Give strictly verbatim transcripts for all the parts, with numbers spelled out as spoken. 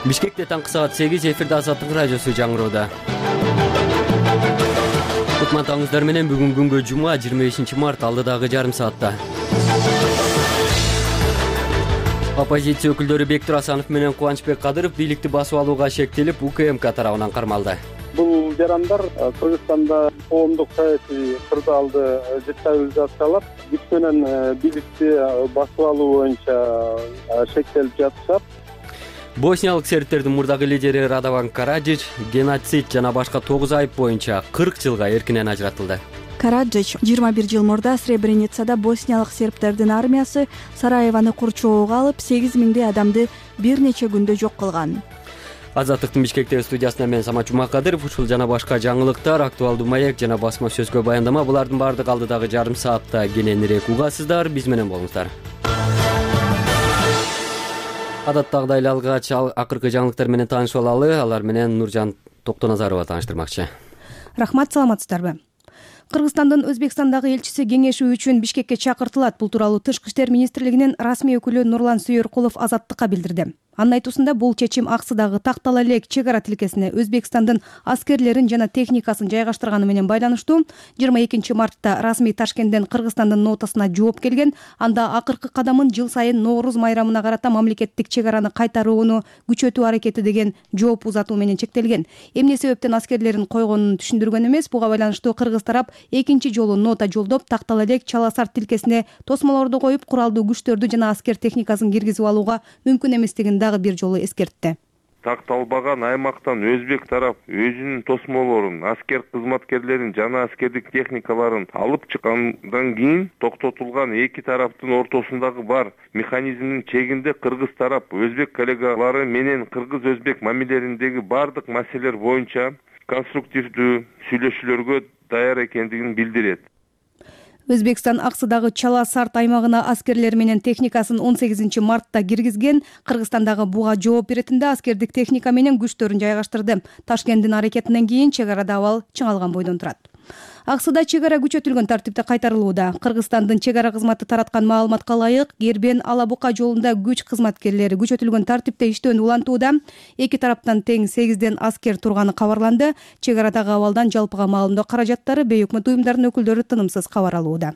Бишкекте таңкы саат сегиз эфирде Азаттык радиосу жаңыроодо. Кутмандыңыздар менен бүгүн күнгө жума жыйырма бешинчи март алдыдагы жарым саатта. Оппозиция өкүлдөрү Бектур Асанов менен Кубанычбек Кадыров бийликти басып алууга шектелип, УКМК тарабынан кармалды. Бул жарандар Кыргызстанда коомдук саясий кырдаалды дестабилизациялап, күч менен бийликти басып алуу боюнча шектелип жатышат. Босниялык сербтердин мурдагы лидери Радован Караджич геноцид жана башка тогуз айып боюнча кырк жылга эркинен ажыратылды. Караджич жыйырма бир жыл мурда Сребреницада босниялык сербтердин армиясы Сараевону курчоого алып, сегиз миңдей адамды бир нече күндө жок кылган. Азаттыктын Бишкектеги студиясынан мен Самат Жумакадыров, ушул жана башка жаңылыктар, актуалдуу маек жана басма сөзгө баяндама, булардын баардыгы алдыдагы жарым саатта кененирээк угасыздар. Биз менен болуңуздар. Адаттагыдай эле алгач акыркы жаңылыктар менен таанышып алалы. Алар менен Нуржан Токтоназарова тааныштырмакчы. Рахмат, саламатсыздарбы? Кыргызстандын Өзбекстандагы элчиси кеңешүү үчүн Бишкекке чакыртылат. Бул тууралуу Тышкы иштер министрлигинин расмий өкүлү Нурлан Сүйөркулов Азаттыкка билдирди. Анын айтуусунда бул чечим аксыдагы тактала элек чек ара тилкесине Өзбекстандын аскерлерин жана техникасын жайгаштырганы менен байланыштуу. жыйырма экинчи мартта расмий Ташкенттен Кыргызстандын нотасына жооп келген. Анда акыркы кадамын жыл сайын Нооруз майрамына карата мамлекеттик чек араны кайтарууну күчөтүү аракети деген жооп узатуу менен чектелген. Эмне себептен аскерлерин койгонун түшүндүргөн эмес. Буга байланыштуу кыргыз тарап экинчи жолу нота жолдоп, тактала элек Чаласар тилкесине тосмолорду коюп, куралдуу күчтөрдү жана аскер техникасын киргизип алууга мүмкүн эместигин дагы бир жолу эскертти. Такталбаган аймактан өзбек тарап өзүнүн тосмолорун, аскер кызматкерлерин жана аскердик техникаларын алып чыккандан кийин токтотулган эки тараптын ортосундагы бар механизмдин чегинде кыргыз тарап өзбек коллегалары менен кыргыз-өзбек мамилелериндеги бардык маселелер боюнча конструктивдүү сүйлөшүүлөргө даяр экендигин билдирет. Өзбекстан аксыдагы Чала-Сарт аймагына аскерлер менен техникасын он сегизинчи мартта киргизген. Кыргызстандагы буга жооп беретинде аскердик техника менен күчтөрүн жайгаштырды. Ташкенттин аракетинен кийин чек арада абал чыңалган бойдон турат. Аксыда чек ара күчөтүлгөн тартипте кайтарылууда. Кыргызстандын чек ара кызматы тараткан маалыматка ылайык, Гербен-Алабука жолунда күч кызматкерлери күчөтүлгөн тартипте иштөөнү улантууда. Эки тараптан тең сегизден аскер турганы кабарланды. Чек арадагы абалдан жалпыга маалымдоо каражаттары бейөкмөт уюмдарынын өкүлдөрү тынымсыз кабар алууда.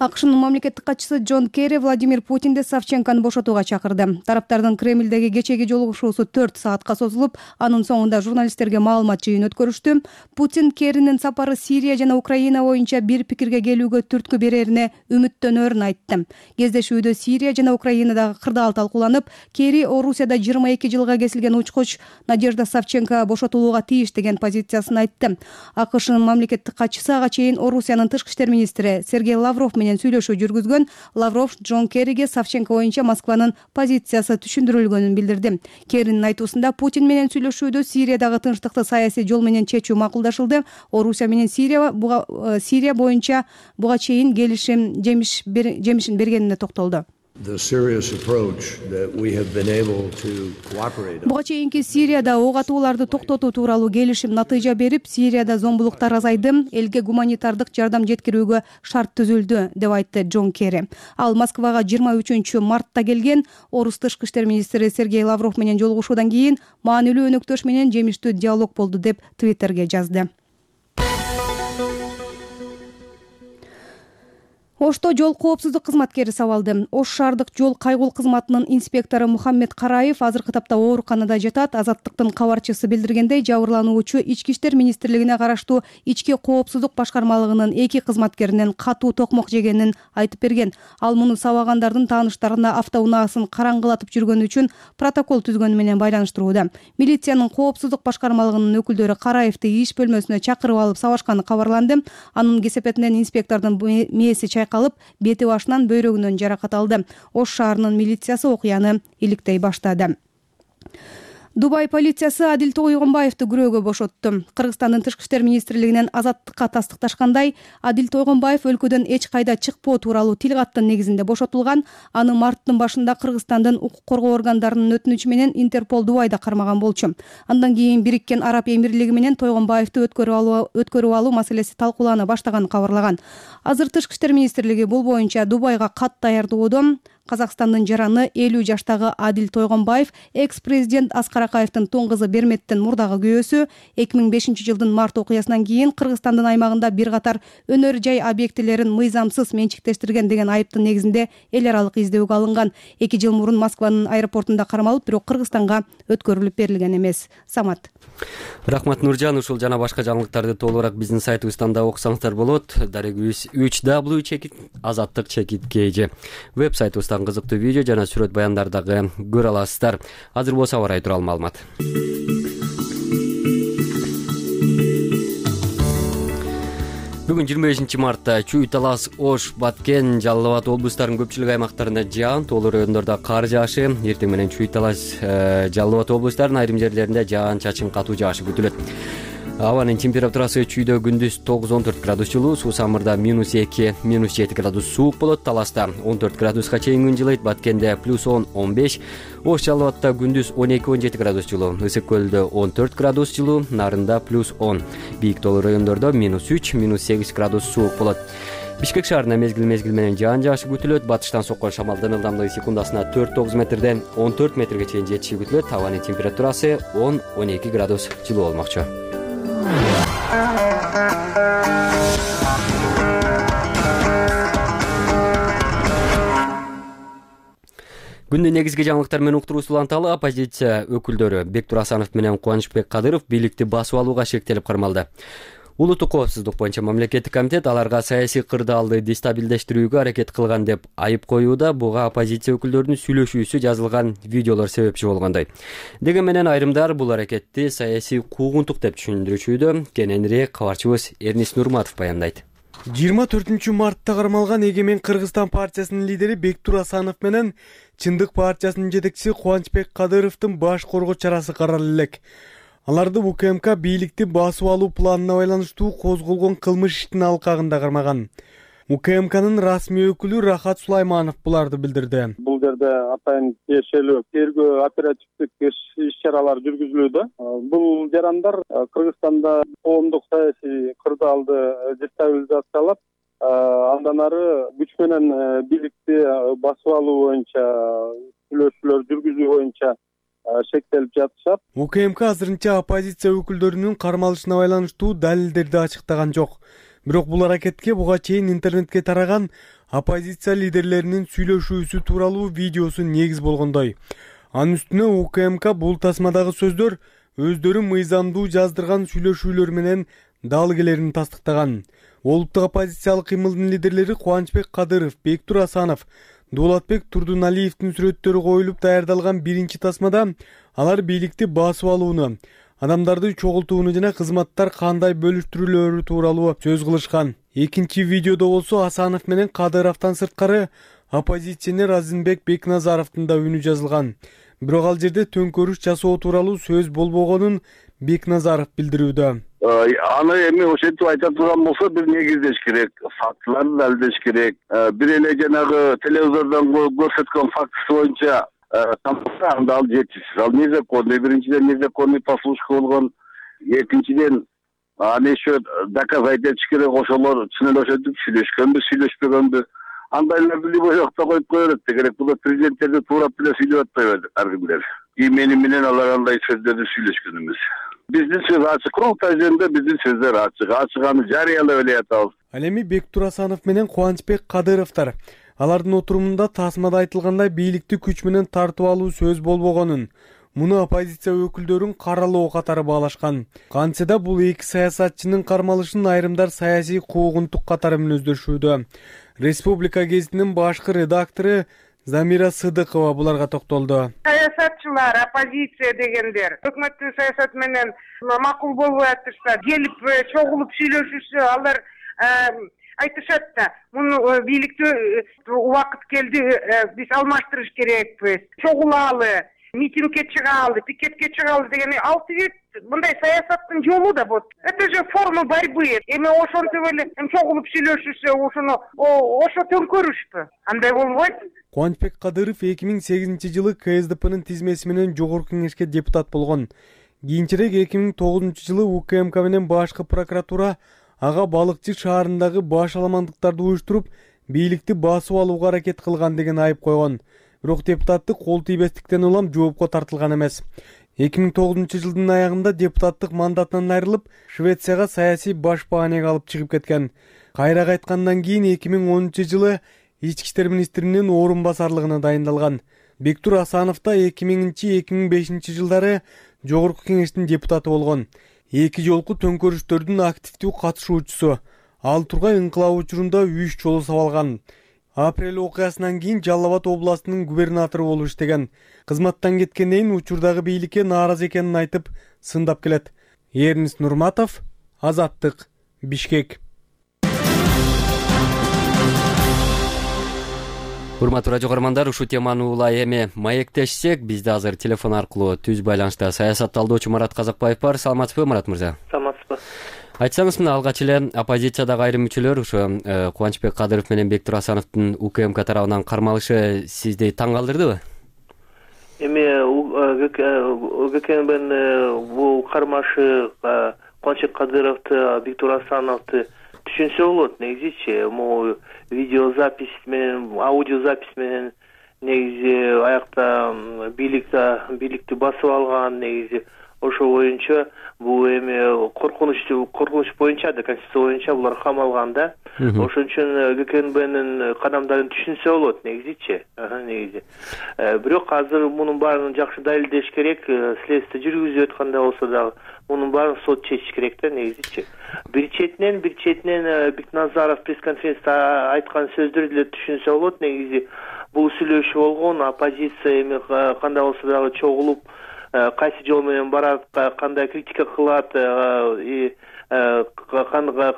АКШнын мамлекеттик катчысы Джон Керри Владимир Путинди Савченкону бошотууга чакырды. Тараптардын Кремлдеги кечеги жолугушуусу төрт саатка созулуп, анын соңунда журналисттерге маалымат жыйын өткөрүштү. Путин Керринин сапары Сирия жана Украина боюнча бир пикирге келүүгө түрткү берерине үмүттөнөрүн айтты. Кездешүүдө Сирия жана Украинадагы кырдаал талкууланып, Керри Орусияда жыйырма эки жылга кесилген учкуч Надежда Савченко бошотулууга тийиш деген позициясын айтты. АКШнын мамлекеттик катчысы ага чейин Орусиянын тышкы иштер министри Сергей Лавров менен сүйлөшүү жүргүзгөн. Лавров Джон Керриге Савченко боюнча Москванын позициясы түшүндүрүлгөнүн билдирди. Керринин айтуусунда Путин менен сүйлөшүүдө Сириядагы тынчтыкты саясий жол менен чечүү макулдашылды. Орусия менен Сирия буга Сирия боюнча буга чейин келишим жемиш жемишин бергенине токтолду. Буга чейинки Сирияда ок атууларды токтотуу тууралуу келишим натыйжа берип, Сирияда зомбулуктар азайды, элге гуманитардык жардам жеткирүүгө шарт түзүлдү, деп айтты Джон Керри. Ал Москвага жыйырма үчүнчү мартта келген. Орус тышкы иштер министри Сергей Лавров менен жолугушуудан кийин маанилүү өнөктөш менен жемиштүү диалог болду деп Твиттерге жазды. Ошто жол коопсуздук кызматкери сабалды. Ош шаардык жол кайгул кызматынын инспектору Мухаммед Караев азыркы тапта ооруканада жатат. Азаттыктын кабарчысы билдиргендей, жабырлануучу Ички иштер министрлигине караштуу ички коопсуздук башкармалыгынын эки кызматкеринен катуу токмок жегенин айтып берген. Ал муну сабагандардын тааныштарына автоунаасын караңгылатып жүргөнү үчүн протокол түзгөнү менен байланыштырууда. Милициянын коопсуздук башкармалыгынын өкүлдөрү Караевди иш бөлмөсүнө чакырып алып сабашканы кабарланды. Анын кесепетинен инспектордун мээси чайкалып, бети башынан бөйрөгүнөн жаракат алды. Ош шаарынын милициясы окуяны иликтей баштады. Дубай полициясы Адил Тойгонбаевди күрөөгө бошотту. Кыргызстандын тышкы иштер министрлигинен Азаттыкка тастыкташкандай, Адил Тойгонбаев өлкөдөн эч кайда чыкпоо тууралуу тил каттын негизинде бошотулган. Аны марттын башында Кыргызстандын укук коргоо органдарынын өтүнүчү менен Интерпол Дубайда кармаган болчу. Андан кийин Бириккен Араб Эмирлиги менен Тойгонбаевди өткөрүп алуу өткөрүп алуу маселеси талкуулана баштаганын кабарлаган. Азыр тышкы иштер министрлиги бул боюнча Дубайга кат даярдоодо. Казакстандын жараны элүү жаштагы Адил Тойгонбаев экс-президент Аскар Акаевдин тун кызы Берметтин мурдагы күйөөсү эки миң бешинчи жылдын март окуясынан кийин Кыргызстандын аймагында бир катар өнөр жай объектилерин мыйзамсыз менчиктештирген деген айыптын негизинде эл аралык издөөгө алынган. эки жыл мурун Москванын аэропортунда кармалып, бирок Кыргызстанга өткөрүлүп берилген эмес. Самат. Рахмат Нуржан. Ушул жана башка жаңылыктарды толугураак биздин сайтыбыздан да окусаңыздар болот. Дарегибиз үч дабл ю чекит азаттык чекит kg веб сайтыбыздан кызыктуу видео жана сүрөт баяндарды дагы көрө аласыздар. Азыр болсо аба ырайы тууралуу маалымат. Бүгүн жыйырма бешинчи мартта Чүй, Талас, Ош, Баткен, Жалал Абад облустарынын көпчүлүк аймактарында жаан, тоолуу райондордо кар жаашы, эртең менен Чүй, Талас, Жалал Абад облустарынын айрым жерлеринде жаан чачын катуу жаашы күтүлөт. Абанын температурасы Чүйдө күндүз тогуз он төрт градус жылуу, Суусамырда минус эки минус жети градус суук болот, Таласта он төрт градуска чейин күн жылыйт, Баткенде плюс он он беш, Ош, Жалал Абадта күндүз он эки он жети градус жылуу, Ысык көлдө он төрт градус жылуу, Нарында плюс он, бийик тоолуу райондордо минус үч минус сегиз градус суук болот. Бишкек шаарында мезгил мезгил менен жаан жаашы күтүлөт. Батыштан соккон шамалдын ылдамдыгы секундасына төрт тогуз метрден он төрт метрге чейин жетиши күтүлөт. Абанын температурасы он он эки градус жылуу болмокчу. Күндүн негизги жаңылыктар менен уктуруусу уланталы. Оппозиция өкүлдөрү Бектур Асанов менен Кубанычбек Кадыров бийликти басып алууга шектелип кармалды. Улуттук коопсуздук боюнча мамлекеттик комитет аларга саясий кырдаалды дестабилдештирүүгө аракет кылган деп айып коюуда. Буга оппозиция өкүлдөрүнүн сүйлөшүүсү жазылган видеолор себепчи болгондой. Деген менен айрымдар бул аракетти саясий куугунтук деп түшүндүрүшүүдө. Кененирээк кабарчыбыз Эрнис Нурматов баяндайт. жыйырма төртүнчү мартта кармалган Эгемен Кыргызстан партиясынын лидери Бектур Асанов менен Чындык партиясынын жетекчиси Кубанычбек Кадыровдун баш коргоо чарасы каралып элек. Аларды УКМК бийликти басып алуу планына байланыштуу козголгон кылмыш иштин алкагында кармаган. УКМКнын расмий өкүлү Рахат Сулайманов буларды билдирди. Бул жерде атайын тиешелүү тергөө оперативдик иш-чаралар жүргүзүлүүдө. Бул жарандар Кыргызстанда коомдук саясий кырдаалды дестабилизациялап, андан ары күч менен бийликти басып алуу боюнча сүйлөшүүлөр жүргүзүү боюнча шектелип жатышат. УКМК азырынча оппозиция өкүлдөрүнүн кармалышына байланыштуу далилдерди ачыктаган жок. Бирок бул аракетке буга чейин интернетке тараган оппозиция лидерлеринин сүйлөшүүсү тууралуу видеосу негиз болгондой. Анын үстүнө УКМК бул тасмадагы сөздөр өздөрү мыйзамдуу жаздырган сүйлөшүүлөр менен дал келерин тастыктаган. Олуттук оппозициялык кыймылдын лидерлери Кубанычбек Кадыров, Бектур Асанов, Дулатбек Турдуналиевдин сүрөттөрү коюлуп даярдалган биринчи тасмада алар бийликти басып алууну, адамдарды чогултууну жана кызматтар кандай бөлүштүрүлөөрү тууралуу сөз кылышкан. Экинчи видеодо болсо Асанов менен Кадыровдон сырткары оппозиционер Азимбек Бекназаровдун да үнү жазылган. Бирок ал жерде төңкөрүш жасоо тууралуу сөз болбогонун Бекназаров билдирүүдө. Аны эми ошентип айта турган болсо бир негиздеш керек, фактыларды далилдеш керек. Бир эле жанагы телевизордон көрсөткөн фактысы боюнча анда ал жетишсиз. Ал незаконный, биринчиден незаконный послушка болгон, экинчиден аны еще доказать этиш керек, ошолор чын эле ошентип сүйлөшкөнбү, сүйлөшпөгөнбү. Андайларды любой жакта коюп кое берет керек. Бул президенттерди туурап эле сүйлөп атпайбы ар кимдер. И мени менен алар андай сөздөрдү сүйлөшкөн эмес. Биздин сөз ачык, курултай жөнүндө биздин сөздөр ачык, ачык аны жарыялап эле атабыз. Ал эми Бектур Асанов менен Кубанычбек Кадыровдор алардын отурумунда тасмада айтылгандай бийликти күч менен тартып алуу сөз болбогонун, муну оппозиция өкүлдөрүн каралоо катары баалашкан. Кантсе да бул эки саясатчынын кармалышын айрымдар саясий куугунтук катары мүнөздөшүүдө. Республика гезитинин башкы редактору Замира Сыдыкова буларга токтолду. Саясатчылар, оппозиция дегендер өкмөттүн саясаты менен макул болбой атышса, келип чогулуп сүйлөшүшсө, алар айтышат да, муну бийликти убакыт келди, биз алмаштырыш керекпиз, чогулалы, митингге чыгалы, пикетке чыгалы деген алты бет мындай саясаттын жолу да бот. Это же форма борьбы. Эми ошентип эле чогулуп сүйлөшүшсө, ошону ошо төңкөрүшпү? Андай болбойт. Кубанычбек Кадыров эки миң сегизинчи жылы КСДПнын тизмеси менен жогорку кеңешке депутат болгон. Кийинчерээк эки миң тогузунчу жылы УКМК менен башкы прокуратура ага Балыкчы шаарындагы баш аламандыктарды уюштуруп, бийликти басып алууга аракет кылган деген айып койгон. Бирок депутаттык кол тийбестиктен улам жоопко тартылган эмес. эки миң тогузунчу жылдын аягында депутаттык мандатынан айрылып, Швецияга саясий баш баанеге алып чыгып кеткен. Кайра кайткандан кийин эки миң онунчу жылы ички иштер министринин орун басарлыгына дайындалган. Бектур Асанов да эки миңинчи эки миң бешинчи жылдары Жогорку кеңештин депутаты болгон. Эки жолку төңкөрүштөрдүн активдүү катышуучусу. Ал Тургай ыңкылабы учурунда үч жолу сабалган. Апрель окуясынан кийин Жалал Абад областынын губернатору болуп иштеген. Кызматтан кеткенден кийин учурдагы бийликке нааразы экенин айтып, сындап келет. Эрнис Нурматов, Азаттык, Бишкек. Урматтуу радио көрөрмандар, ушул теманы улай эми маектешсек, бизде азыр телефон аркылуу түз байланышта саясат талдоочу Марат Казакбаев бар. Саламатсызбы, Марат мырза? Саламатсызбы. Айтсаңыз, мына алгач эле оппозициядагы айрым мүчөлөр ошо Кубанычбек Кадыров менен Бектур Асановдун УКМК тарабынан кармалышы сизди таң калтырдыбы? Эми УКМКнын бул кармашы Кубанычбек Кадыровду, Бектур Асановду түшүнсө болот. Негизичи могу видеозапись менен, аудиозапись менен негизи аякта бийликте бийликти басып алган, негизи ошо боюнча бул эми коркунучтуу коркунуч боюнча да, конституция боюнча булар камалган да. Ошон үчүн ГКНБнын кадамдарын түшүнсө болот негизичи. Негизи. Бирок азыр мунун баарын жакшы далилдеш керек, следствие жүргүзүп атканда болсо дагы мунун баарын сот чечиш керек да негизичи. Бир четинен, бир четинен Бекназаров пресс-конференцияда айткан сөздөр деле түшүнсө болот. Негизи бул сүйлөшүү болгон, оппозиция эми кандай болсо дагы чогулуп, кайсы жол менен барат, кандай критика кылат,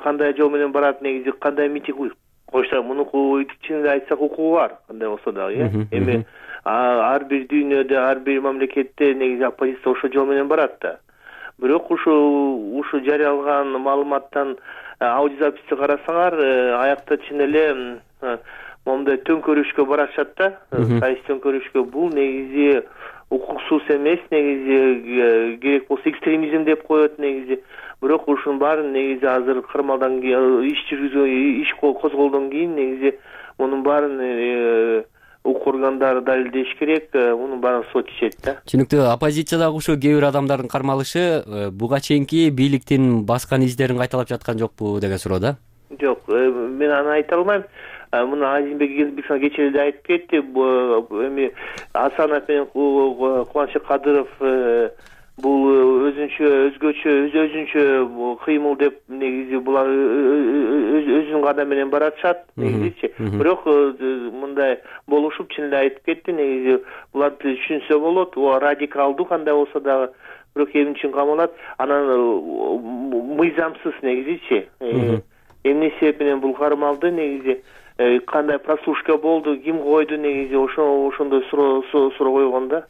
кандай жол менен барат, негизи кандай митинг койсо, муну чынында айтсак укугу бар, кандай болсо дагы, э. Эми ар бир дүйнөдө, ар бир мамлекетте негизи оппозиция ошол жол менен барат да. Бирок ушул ушул жарыяланган маалыматтан аудиозаписти карасаңар, аякта чын эле момундай төңкөрүшкө барышат да, саясий төңкөрүшкө. Бул негизи укуксуз эмес, негизи керек болсо экстремизм деп коет негизи. Бирок ушунун баарын негизи азыр кармалдан кийин, иш жүргүзүү, иш козголдон кийин негизи мунун баарын укук органдары далилдеш керек, мунун баарын сот чечет да. Түшүнүктүү. Оппозициядагы ушул кээ бир адамдардын кармалышы буга чейинки бийликтин баскан издерин кайталап жаткан жокпу деген суроо да? Жок, мен аны айта албайм. Муну Азимбек Элбеков кечээ эле айтып кетти. Эми Асанов менен Кубанычбек Кадыров бул өзүнчө өзгөчө өз өзүнчө кыймыл деп негизи булар өзүнүн кадам менен баратышат негизичи. Бирок мындай болушуп чын эле айтып кетти, негизи буларды түшүнсө болот. О радикалдуу кандай болсо дагы, бирок эмне үчүн камалат, анан мыйзамсыз негизичи. Эмне себеп менен бул кармалды, негизи кандай прослушка болду, ким койду, негизи ошо ошондой суроо суроо койгон да.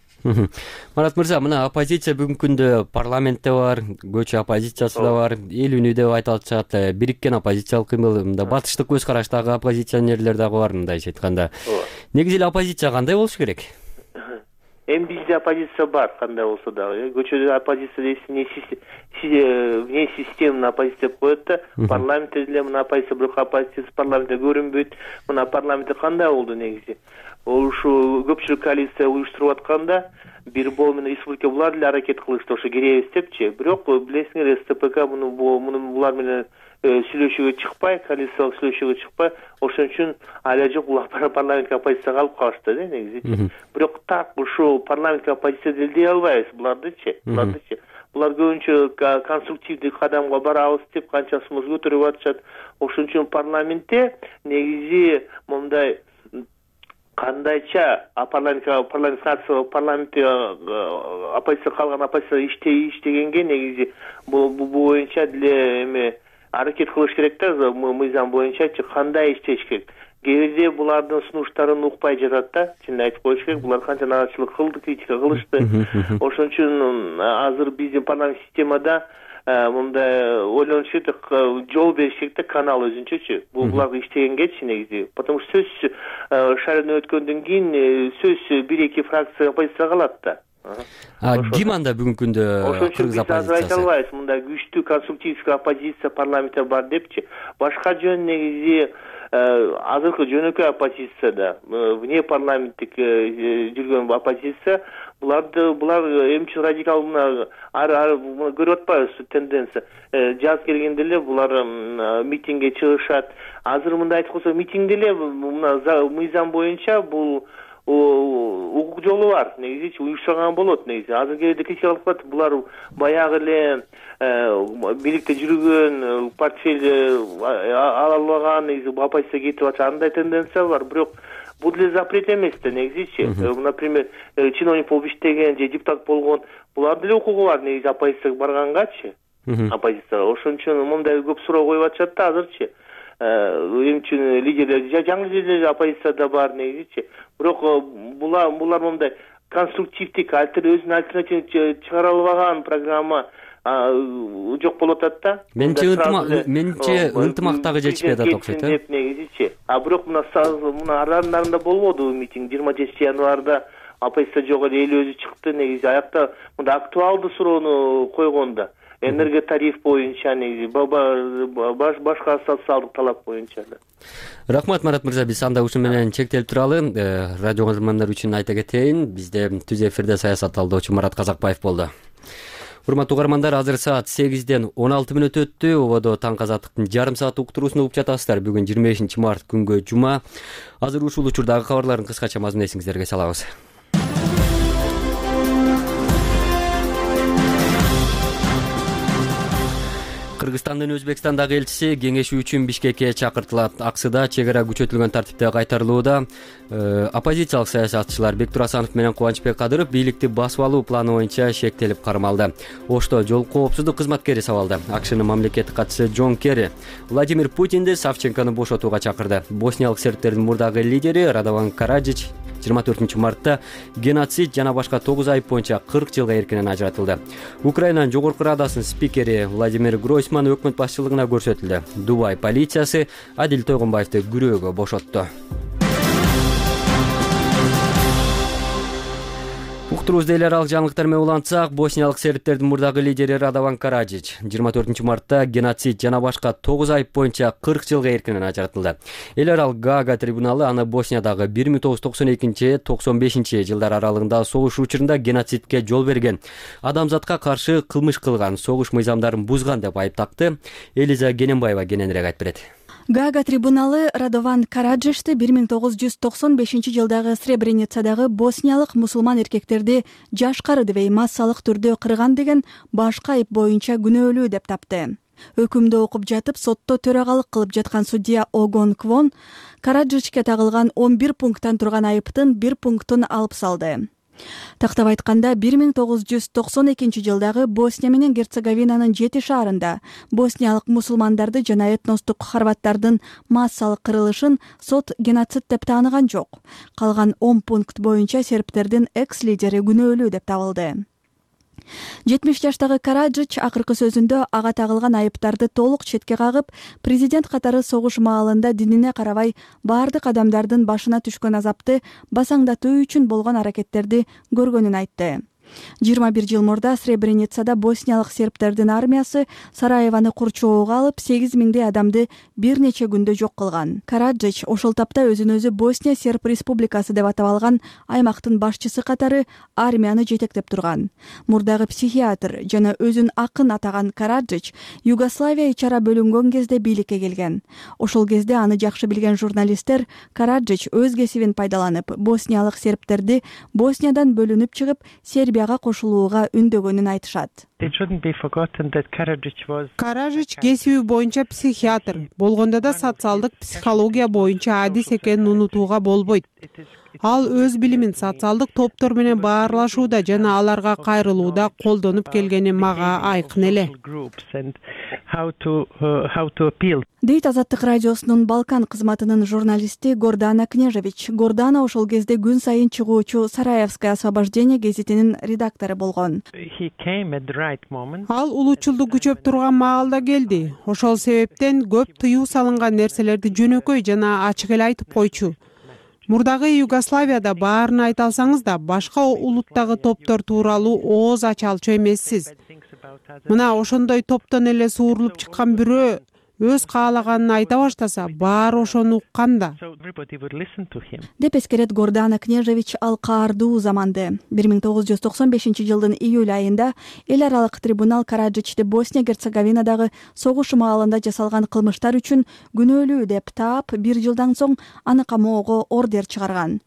Марат мырза, мына оппозиция бүгүнкү күндө парламентте бар, көчү оппозициясы да бар, эл үнү деп айтылат, бириккен оппозициялык кыймыл, мында батыштык көз караштагы оппозиционерлер дагы бар, мындайча айтканда. Негизи эле оппозиция кандай болуш керек? Эми бизде оппозиция бар, кандай болсо дагы. Көчөдө оппозиция вне системный оппозиция деп коет да. Парламентте деле мына оппозиция, бирок оппозиция парламентте көрүнбөйт. Мына парламентте кандай болду негизи? Ошо көпчүлүк коалиция уюштуруп атканда бир бол менен республика булар деле аракет кылышты, ошо киребиз депчи. Бирок билесиңер, СТПК муну муну булар менен сүйлөшүүгө чыкпай, коалициялык сүйлөшүүгө чыкпай, ошон үчүн ала жок булар парламентке оппозицияга алып калышты да негизи. Бирок так ушул парламентке оппозиция дей албайбыз булардычы. Булардычы. Булар көбүнчө конструктивдик кадамга барабыз деп канча сумуз көтөрүп атышат. Ошон үчүн парламентте негизи момундай кандайча парламентке парламентте оппозиция калган оппозиция иштегенге негизи бул боюнча деле эми аракет кылыш керек да, мыйзам боюнчачы кандай иштеш керек. Кээ бирде булардын сунуштарын укпай жатат да, чын айтып коюш керек. Булар канча наачылык кылды, критика кылышты. Ошон үчүн азыр биздин парламент системада мындай ойлонуш керек, жол бериш керек да, канал өзүнчөчү. Бул буларга иштегенгечи негизи. Потому что сөз шайлоо өткөндөн кийин сөз бир-эки фракция оппозиция калат да. Ким анда бүгүнкү күндө кыргыз оппозициясы? Айта албайбыз, мындай күчтүү конструктивдик оппозиция парламентте бар депчи. Башка жөн негизи азыркы жөнөкөй оппозицияда вне парламенттик жүргөн оппозиция буларды булар эмне үчүн радикал мына ар көрүп атпайбызбы тенденция. Жаз келгенде эле булар митингге чыгышат. Азыр мындай айтып койсок, митингде эле мына мыйзам боюнча бул укук жолу бар. Негизи уюштурган болот негизи. Азыр кээде критика кылып атат. Булар баягы эле бийликте жүргөн, портфель ала албаган, негизи оппозиция кетип атат. Андай тенденция бар. Бирок бул деле запрет эмес да негизичи. Например, чиновник болуп иштеген же депутат болгон, булар деле укугу бар негизи оппозицияга баргангачы. Оппозицияга. Ошон үчүн мындай көп суроо коюп атышат да азырчы. Эмне үчүн лидерлер, жаңы лидерлер оппозицияда бар негизичи. Бирок булар булар мындай конструктивдик, өзүнүн альтернативин чыгара албаган программа жок болуп атат да. Менче менче ынтымактагы жетишпей атат окшойт, э? Негизичи. А бирок мына мына араларында болбоду митинг жыйырма жетинчи январда оппозиция жок эле, эл өзү чыкты негизи. Аякта мында актуалдуу суроону койгон да. Энергия тариф боюнча негизи башка социалдык талап боюнча да. Рахмат Марат мырза, биз анда ушун менен чектелип туралы. Радио көрөрмандар үчүн айта кетейин, бизде түз эфирде саясат талдоочу Марат Казакбаев болду. Урматтуу угармандар, азыр саат сегизден он алты мүнөт өттү. Ободо Таң Азаттыктын жарым саат уктуруусун угуп жатасыздар. Бүгүн жыйырма бешинчи март күнгө жума. Азыр ушул учурдагы кабарлардын кыскача мазмунун эсиңиздерге салабыз. Кыргызстандын Өзбекстандагы элчиси кеңешүү үчүн Бишкекке чакыртылат. Аксыда чек ара күчөтүлгөн тартипте кайтарылууда. Оппозициялык саясатчылар Бектур Асанов менен Кубанычбек Кадыров бийликти басып алуу планы боюнча шектелип кармалды. Ошто жол коопсуздук кызматкери сабалды. АКШнын мамлекеттик катчысы Джон Керри Владимир Путинди Савченкону бошотууга чакырды. Босниялык сербтердин мурдагы лидери Радован Караджич жыйырма төртүнчү мартта геноцид жана башка тогуз айып боюнча кырк жылга эркинен ажыратылды. Украинанын жогорку радасынын спикери Владимир Гройсман өкмөт башчылыгына көрсөтүлдү. Дубай полициясы Адил Тойгонбаевди күрөөгө бошотту. Уктуруубузду эл аралык жаңылыктар менен улантсак, босниялык сербтердин мурдагы лидери Радован Караджич жыйырма төртүнчү мартта геноцид жана башка тогуз айып боюнча кырк жылга эркинен ажыратылды. Эл аралык Гаага трибуналы аны Босниядағы бир миң тогуз жүз токсон экинчи — токсон бешинчи жылдар аралыгында согуш учурунда геноцидке жол берген, адамзатка каршы кылмыш кылган, согуш мыйзамдарын бузган деп айыптакты. Элиза Кененбаева кененирээк айтып берет. Гаага трибуналы Радован Караджичти бир миң тогуз жүз токсон бешинчи жылдагы Сребреницадагы босниялык мусулман эркектерди жашкары дебей массалык түрдө кырган деген башка айып боюнча күнөөлүү деп тапты. Өкүмдү окуп жатып сотто төрагалык кылып жаткан судья Огон Квон Караджичке тагылган он бир пункттан турган айыптын бир пунктун алып салды. Тактап айтканда, бир миң тогуз жүз токсон экинчи жылдагы Босния менен Герцеговинанын жети шаарында босниялык мусулмандарды жана этностук хорваттардын массалык кырылышын сот геноцид деп тааныган жок. Калган он пункт боюнча сербтердин экс-лидери күнөөлүү деп табылды. жетимиш жаштагы Караджич акыркы сөзүндө ага тагылган айыптарды толук четке кагып, президент катары согуш маалында динине карабай баардык адамдардын башына түшкөн азапты басаңдатуу үчүн болгон аракеттерди көргөнүн айтты. жыйырма бир жыл мурда Сребреницада босниялык сербтердин армиясы Сараеваны курчоого алып, сегиз миңдей адамды бир нече күндө жок кылган. Караджич ошол тапта өзүн өзү Босния Серб Республикасы деп атап алган аймактын башчысы катары армияны жетектеп турган. Мурдагы психиатр жана өзүн акын атаган Караджич Югославия ичара бөлүнгөн кезде бийликке келген. Ошол кезде аны жакшы билген журналисттер Караджич өз кесибин пайдаланып, босниялык сербтерди Босниядан бөлүнүп чыгып, Сербия кошулууга үндөгөнүн айтышат. Караджич кесиби боюнча психиатр, болгондо да социалдык психология боюнча адис экенин унутууга болбойт. Ал өз билимин социалдык топтор менен баарлашууда жана аларга кайрылууда колдонуп келгени мага айкын эле. Дейт Азаттык радиосунун Балкан кызматынын журналисти Гордана Кнежевич. Гордана ошол кезде күн сайын чыгуучу Сараевское освобождение гезитинин редактору болгон. Ал улуучулдук күчөп турган маалда келди. Ошол себептен көп тыюу салынган нерселерди жөнөкөй жана ачык эле айтып койчу. Мурдагы Югославияда баарын айта алсаңыз да, башка улуттагы топтор тууралуу ооз ача алчу эмессиз. Мына ошондой топтон эле суурулуп чыккан бирөө өз каалаганын айта баштаса баары ошону уккан да деп эскерет Гордана Кнежевич. Ал каардуу заманды. бир миң тогуз жүз токсон бешинчи жылдын июль айында эл аралык трибунал Караджичти Босния Герцеговинадагы согуш маалында жасалган кылмыштар үчүн күнөөлүү деп таап, бир жылдан соң аны камоого ордер чыгарган.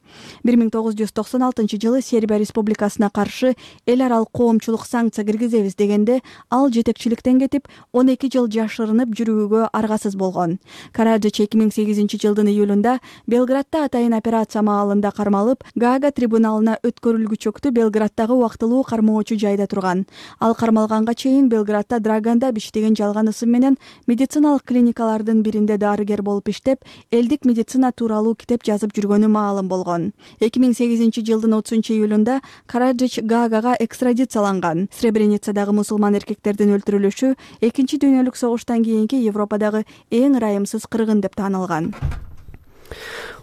бир миң тогуз жүз токсон алтынчы жылы Сербия Республикасына каршы эл аралык коомчулук санкция киргизебиз дегенде ал жетекчиликтен кетип, он эки жыл жашырынып жүрүүгө аргасыз болгон. Караджич эки миң сегизинчи жылдын июлунда Белградда атайын операция маалында кармалып, Гаага трибуналына өткөрүлгүчөктү Белграддагы убактылуу кармоочу жайда турган. Ал кармалганга чейин Белградда Драганда биш деген жалган ысым менен медициналык клиникалардын биринде дарыгер болуп иштеп, элдик медицина тууралуу китеп жазып жүргөнү маалым болгон. эки миң сегизинчи жылдын отузунчу июлунда Караджич Гаагага экстрадицияланган. Сребреницадагы мусулман эркектердин өлтүрүлүшү экинчи дүйнөлүк согуштан кийинки Европадагы эң ырайымсыз кыргын деп таанылган.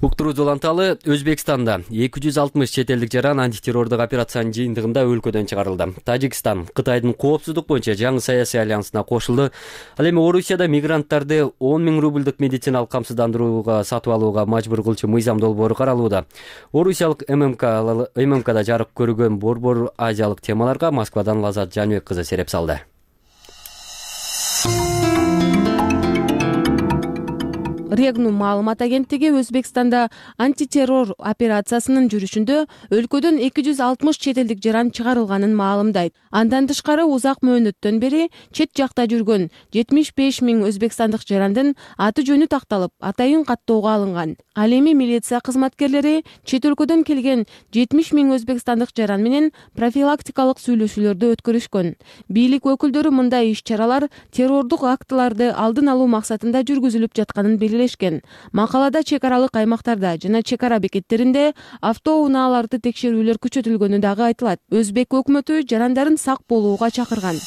Уктуруу уланталы Өзбекстанда эки жүз алтымыш чет элдик жаран антитеррордук операциянын жыйынтыгында өлкөдөн чыгарылды. Тажикстан Кытайдын коопсуздук боюнча жаңы саясий альянсына кошулду. Ал эми Орусияда мигранттарды он миң рубльдук медициналык камсыздандырууга сатып алууга мажбур кылчу мыйзам долбоору каралууда. Орусиялык ММКда жарык көргөн борбор азиялык темаларга Москвадан Лазат Жаныбек кызы сереп салды. Регнум маалымат агенттиги Өзбекстанда антитеррор операциясынын жүрүшүндө өлкөдөн эки жүз алтымыш чет элдик жаран чыгарылганын маалымдайт. Андан тышкары узак мөөнөттөн бери чет жакта жүргөн жетимиш беш миң өзбекстандык жарандын аты жөнү такталып, атайын каттоого алынган. Ал эми милиция кызматкерлери чет өлкөдөн келген жетимиш миң өзбекстандык жаран менен профилактикалык сүйлөшүүлөрдү өткөрүшкөн. Бийлик өкүлдөрү мындай иш-чаралар террордук актыларды алдын алуу максатында жүргүзүлүп жатканын белгилешкен. Макалада чек аралык аймактарда жана чек ара бекеттеринде автоунааларды текшерүүлөр күчөтүлгөнү дагы айтылат. Өзбек өкмөтү жарандарын сак болууга чакырган.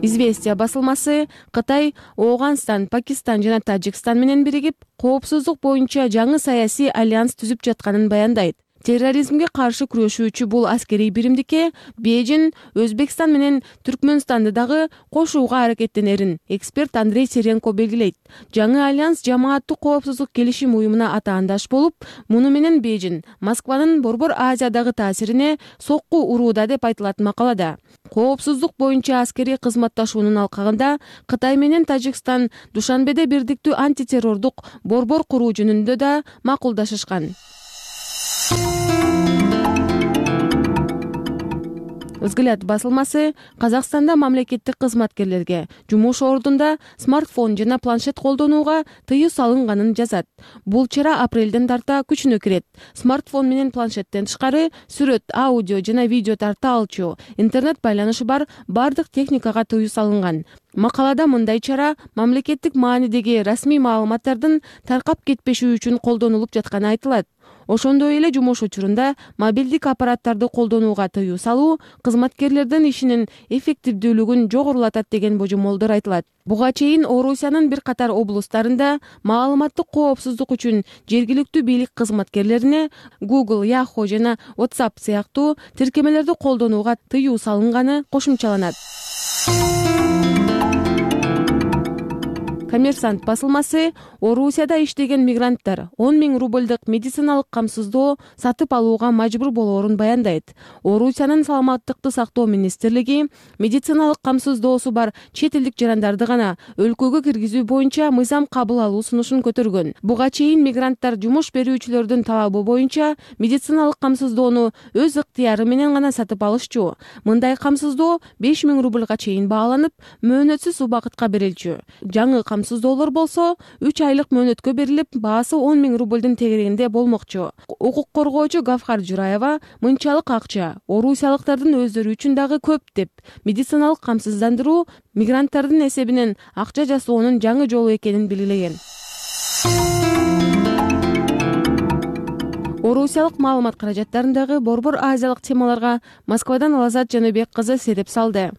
Известия басылмасы Кытай, Ооганстан, Пакистан жана Тажикстан менен биригип, коопсуздук боюнча жаңы саясий альянс түзүп жатканын баяндайт. Терроризмге каршы күрөшүүчү бул аскерий биримдикке Бейжин, Өзбекстан менен Түркмөнстанды дагы кошууга аракеттенерин эксперт Андрей Серенко белгилейт. Жаңы альянс жамааттык коопсуздук келишим уюмуна атаандаш болуп, муну менен Бейжин Москванын Борбор Азиядагы таасирине сокку урууда деп айтылат макалада. Коопсуздук боюнча аскерий кызматташуунун алкагында Кытай менен Тажикстан Душанбеде бирдиктүү антитеррордук борбор куруу жөнүндө да макулдашышкан. Взгляд басылмасы Казакстанда мамлекеттик кызматкерлерге жумуш ордунда смартфон жана планшет колдонууга тыюу салынганын жазат. Бул чара апрелден тарта күчүнө кирет. Смартфон менен планшеттен тышкары сүрөт, аудио жана видео тарта алчу, интернет байланышы бар бардык техникага тыюу салынган. Макалада мындай чара мамлекеттик маанидеги расмий маалыматтардын таркап кетпеши үчүн колдонулуп жатканы айтылат. Ошондой эле жумуш учурунда мобилдик аппараттарды колдонууга тыюу салуу кызматкерлердин ишинин эффективдүүлүгүн жогорулатат деген божомолдор айтылат. Буга чейин Орусиянын бир катар облустарында маалыматтык коопсуздук үчүн жергиликтүү бийлик кызматкерлерине Google, Yahoo жана WhatsApp сыяктуу тиркемелерди колдонууга тыюу салынганы кошумчаланат. Коммерсант басылмасы Орусияда иштеген мигранттар он миң рубльдук медициналык камсыздоо сатып алууга мажбур болоорун баяндайт. Орусиянын саламаттыкты сактоо министрлиги медициналык камсыздоосу бар чет элдик жарандарды гана өлкөгө киргизүү боюнча мыйзам кабыл алуу сунушун көтөргөн. Буга чейин мигранттар жумуш берүүчүлөрдүн талабы боюнча медициналык камсыздоону өз ыктыяры менен гана сатып алышчу. Мындай камсыздоо беш миң рубльга чейин бааланып, мөөнөтсүз убакытка берилчү. Жаңы камсыздоолор болсо үч айлык мөөнөткө берилип, баасы он миң рубльдин тегерегинде болмокчу. Укук коргоочу Гавхар Жураева мынчалык акча орусиялыктардын өздөрү үчүн дагы көп деп, медициналык камсыздандыруу мигранттардын эсебинен акча жасоонун жаңы жолу экенин белгилеген. Орусиялык маалымат каражаттарындагы борбор азиялык темаларга Москвадан Лазат Жаныбек кызы сереп салды.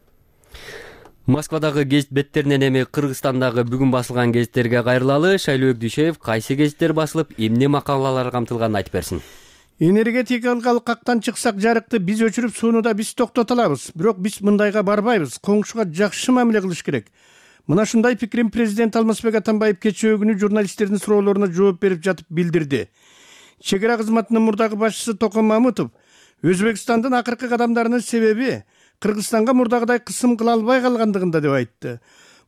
Москвадагы гезит беттеринен эми Кыргызстандагы бүгүн басылган гезиттерге кайрылалы. Шайлообек Дүйшөев кайсы гезиттер басылып, эмне макалалар камтылганын айтып берсин. энергетикалык кактан чыксак жарыкты биз өчүрүп сууну да биз токтото алабыз. Бирок биз мындайга барбайбыз. Коңшуга жакшы мамиле кылыш керек. Мына ушундай пикирин президент Алмазбек Атамбаев кечээ күнү журналисттердин суроолоруна жооп берип жатып билдирди. Чек ара кызматынын мурдагы башчысы Токон Мамытов Өзбекстандын акыркы кадамдарынын себеби Кыргызстанга мурдагыдай кысым кыла албай калгандыгында деп айтты.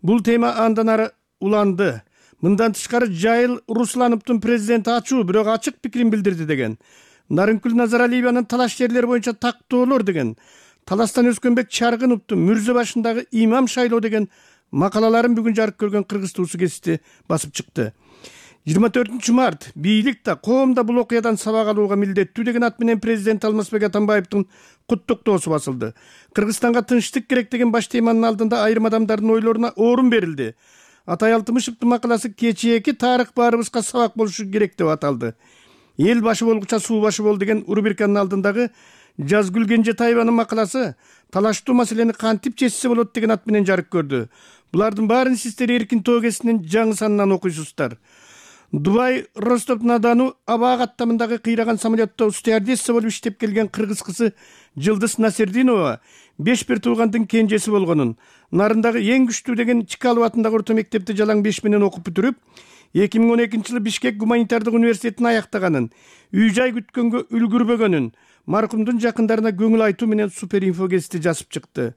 Бул тема андан ары уланды. Мындан тышкары Жайыл Руслановдун президенти ачуу, бирок ачык пикирин билдирди деген. Нарынкүл Назаралиеванын талаш жерлер боюнча тактоолор деген, таластан Өскөнбек Чаргыновдун Мүрзө башындагы имам шайлоо деген макалаларын бүгүн жарык көргөн Кыргыз туусу гезити басып чыкты. жыйырма төртүнчү март бийлик да коом да бул окуядан сабак алууга милдеттүү деген ат менен президент Алмазбек Атамбаевдин куттуктоосу басылды. Кыргызстанга тынчтык керек деген баш теманын алдында айрым адамдардын ойлоруна орун берилди. Атай Алтымышевдин макаласы кечээки тарых баарыбызга сабак болушу керек деп аталды. Эл башы болгуча суу башы бол деген рубриканын алдындагы Жазгүл Кенжетаеванын макаласы талаштуу маселени кантип чечсе болот деген ат менен жарык көрдү. Булардын баарын сиздер Эркин тоо кезинин жаңы санынан окуйсуздар. Дубай Ростов-на-Дону аба каттамындагы кыйраган самолетто стюардесса болуп иштеп келген кыргыз кызы Жылдыз Насердинова беш бир туугандын кенжеси болгонун, нарындагы эң күчтүү деген Чкалов атындагы орто мектепти жалаң беш менен окуп бүтүрүп, эки миң он экинчи жылы Бишкек гуманитардык университетин аяктаганын, үй жай күткөнгө үлгүрбөгөнүн маркумдун жакындарына көңүл айтуу менен Суперинфо гезити жазып чыкты.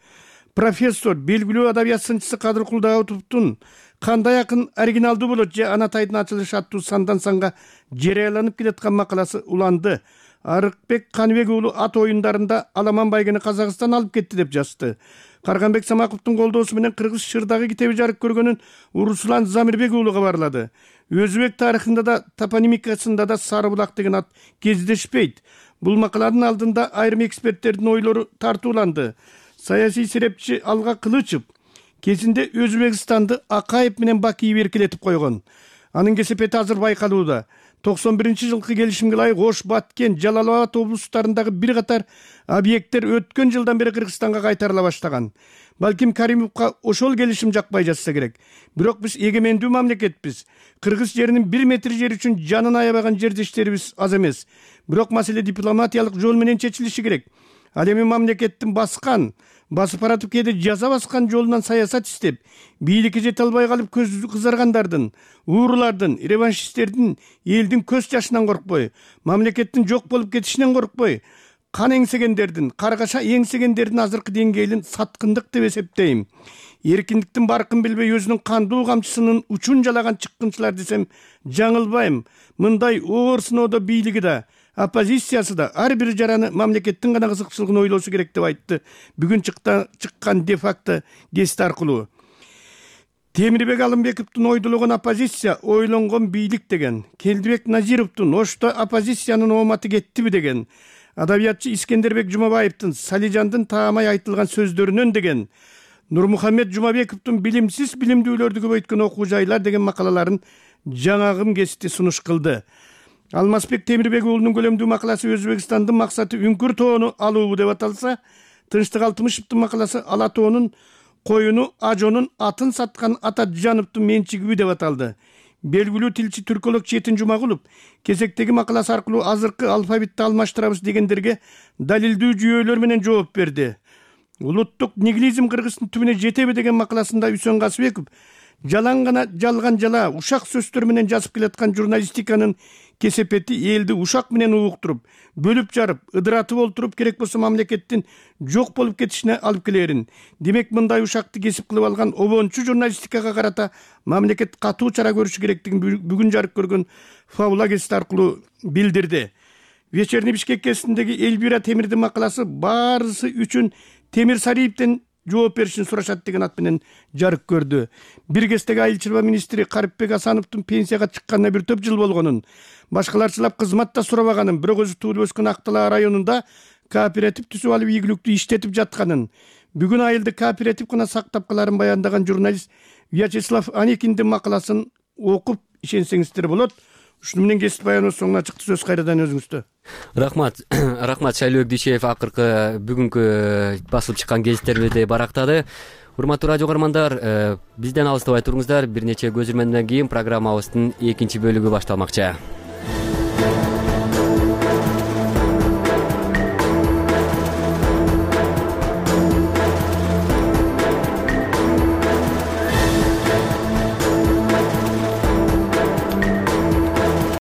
Профессор, белгилүү адабият сынчысы Кадыркул Даутовдун кандай акын оригиналдуу болот же Анатайдын ачылышы аттуу сандан санга жарыяланып келаткан макаласы уланды. Арыкбек Каныбек уулу ат оюндарында Аламан байгени Казакстан алып кетти деп жазды. Карганбек Самаковдун колдоосу менен Кыргыз Шырдагы китеби жарык көргөнүн Руслан Замирбек уулу кабарлады. Өзбек тарыхында да топонимикасында да Сары булак деген ат кездешпейт. Бул макаланын алдында айрым эксперттердин ойлору тартууланды. Саясий серепчи Алга Кылычев кезинде Өзбекстанды Акаев менен Бакиев эркелетип койгон. Анын кесепети азыр байкалууда. токсон биринчи жылкы келишимге ылайык Ош, Баткен, Жалал Абад облустарындагы бир катар объекттер өткөн жылдан бери Кыргызстанга кайтарыла баштаган. Балким Каримовго ошол келишим жакпай жатса керек. Бирок биз эгемендүү мамлекетпиз. Кыргыз жеринин бир метр жер үчүн жанын аябаган жердештерибиз аз эмес. Бирок маселе дипломатиялык жол менен чечилиши керек. Ал эми мамлекеттин баскан, басып баратып кээде жаза баскан жолунан саясат иштеп, бийликке жете албай калып көзү кызаргандардын, уурулардын, реваншисттердин элдин көз жашынан коркпой, мамлекеттин жок болуп кетишинен коркпой, кан эңсегендердин, каргаша эңсегендердин азыркы деңгээлин саткындык деп эсептейм. Эркиндиктин баркын билбей өзүнүн кандуу камчысынын учун жалаган чыккынчылар десем жаңылбайм. Мындай оор сыноодо бийлиги да, оппозициясы да ар бир жараны мамлекеттин гана кызыкчылыгын ойлосу керек деп айтты бүгүн чыккан де-факто гезити аркылуу. Темирбек Алымбековдун ойдулогон оппозиция ойлонгон бийлик деген, Келдибек Назировдун Ошто оппозициянын ооматы кеттиби деген, адабиятчы Искендербек Жумабаевдин Салижандын таамай айтылган сөздөрүнөн деген, Нурмухаммед Жумабековдун билимсиз билимдүүлөрдү көбөйткөн окуу жайлар деген макалаларын жаңагым гезити сунуш кылды. Алмазбек Темирбек уулунун көлөмдүү макаласы Өзбекстандын максаты үңкүр тоону алуу деп аталса, Тынчтык Алтымышевдин макаласы Ала тоонун коюну Ажонун атын саткан Атажановдун менчиги деп аталды. Белгилүү тилчи түрколог Четин Жумагулов кезектеги макаласы аркылуу азыркы алфавитти алмаштырабыз дегендерге далилдүү жүйөлөр менен жооп берди. Улуттук нигилизм Кыргыздын түбүнө жетеби деген макаласында Үсөн Касыбеков жалаң гана жалган жала ушак сөздөр менен жазып келаткан журналистиканын кесепети элди ушак менен угуктуруп, бөлүп жарып, ыдыратып олтуруп керек болсо мамлекеттин жок болуп кетишине алып келерин. Демек мындай ушакты кесип кылып алган обончу журналистикага карата мамлекет катуу чара көрүшү керектигин бүгүн жарык көргөн Фаула гезити аркылуу билдирди. Вечерний Бишкек гезитиндеги Эльвира Темирдин макаласы баарысы үчүн Темир Сариевден жооп беришин сурашат деген ат менен жарык көрдү. Бир кездеги айыл чарба министри Карипбек Асановдун пенсияга чыкканына бир топ жыл болгонун, башкаларчылап кызмат да сурабаганын, бирок өзү туулуп өскөн Ак Талаа районунда кооператив түзүп алып ийгиликтүү иштетип жатканын, бүгүн айылды кооператив гана сактап каларын баяндаган журналист Вячеслав Аникиндин макаласын окуп ишенсеңиздер болот. Ушуну менен кесип баяныбыз соңуна чыкты. Сөз кайрадан өзүңүздө. Рахмат. Рахмат Шайлообек Дүйшеев акыркы бүгүнкү басылып чыккан гезиттерибизди барактады. Урматтуу радио көрөрмандар, бизден алыстабай туруңуздар. Бир нече көзүрмөндөн кийин программабыздын экинчи бөлүгү башталмакчы.